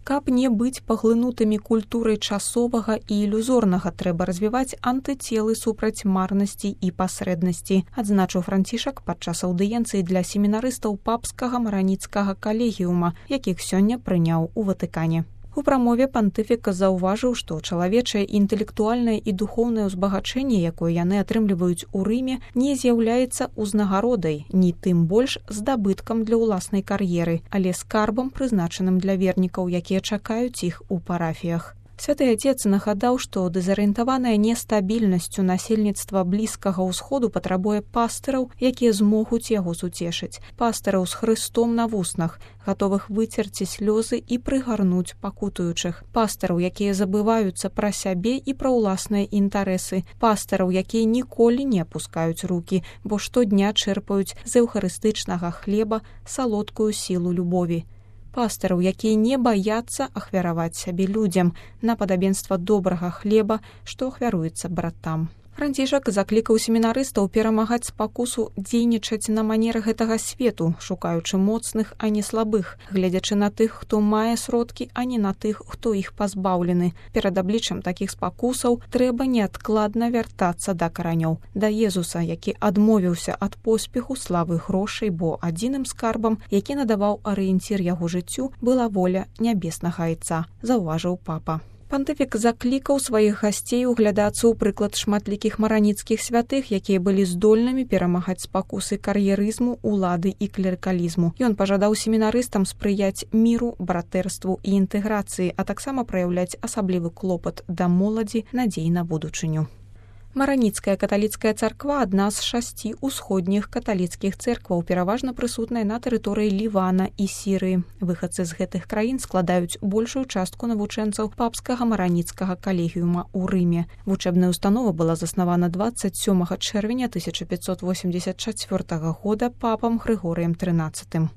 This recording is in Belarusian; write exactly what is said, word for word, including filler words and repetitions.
Каб не быць паглынутымі культурай часовага і ілюзорнага, трэба развіваць антыцелы супраць марнасці і пасрэднасці, адзначыў Францішак падчас аўдыенцыі для семінарыстаў папскага мараніцкага калегіума, якіх сёння прыняў у Ватыкане. У прамове пантыфік заўважыў, што чалавечае інтэлектуальнае і духоўнае ўзбагачэнне, якое яны атрымліваюць у Рыме, не з'яўляецца ўзнагародай, ні тым больш здабыткам для ўласнай кар'еры, але скарбам, прызначаным для вернікаў, якія чакаюць іх у парафіях. Святы Отец нагадаў, што дэзарыентаванае нестабільнасцю насельніцтва Блізкага ўсходу патрабуе пастыраў, якія змогуць яго суцешыць. Пастыраў з Хрыстом на вуснах, гатовых выцерці слёзы і прыгарнуць пакутуючых. Пастыраў, якія забываюцца пра сябе і пра ўласныя інтарэсы. Пастыраў, якія ніколі не апускаюць рукі, бо штодня чэрпаюць з эўхарыстычнага хлеба салодкую сілу любові. Пастыраў, якія не баяцца ахвяраваць сябе людзям на падабенства добрага хлеба, што ахвяруецца братам. Францішак заклікаў семінарыстаў перамагаць спакусу дзейнічаць на манер гэтага свету, шукаючы моцных, а не слабых, гледзячы на тых, хто мае сродкі, а не на тых, хто іх пазбаўлены. Перад абліччам такіх спакусаў трэба неадкладна вяртацца да каранёў, да Езуса, які адмовіўся ад поспеху, славы, грошай, бо адзіным скарбам, які надаваў арыенцір яго жыццю, была воля нябеснага Айца, заўважыў папа. Пантыфік заклікаў сваіх гасцей углядацца ў прыклад шматлікіх мараніцкіх святых, якія былі здольнымі перамагаць спакусы кар'ерызму, улады і клерыкалізму. Ён пажадаў семінарыстам спрыяць міру, братэрству і інтэграцыі, а таксама праяўляць асаблівы клопат да моладзі, надзей на будучыню. Мараніцкая каталіцкая царква адна з шасці ўсходніх каталіцкіх цэркваў, пераважна прысутная на тэрыторыі Лівана і Сірыі. Выхадцы з гэтых краін складаюць большую частку навучэнцаў папскага мараніцкага калегіума ў Рыме. Вучэбная ўстанова была заснавана дваццаць сёмага чэрвеня тысяча пятьсот восемьдесят чацвёртага года папам Грыгорыем трынаццатым.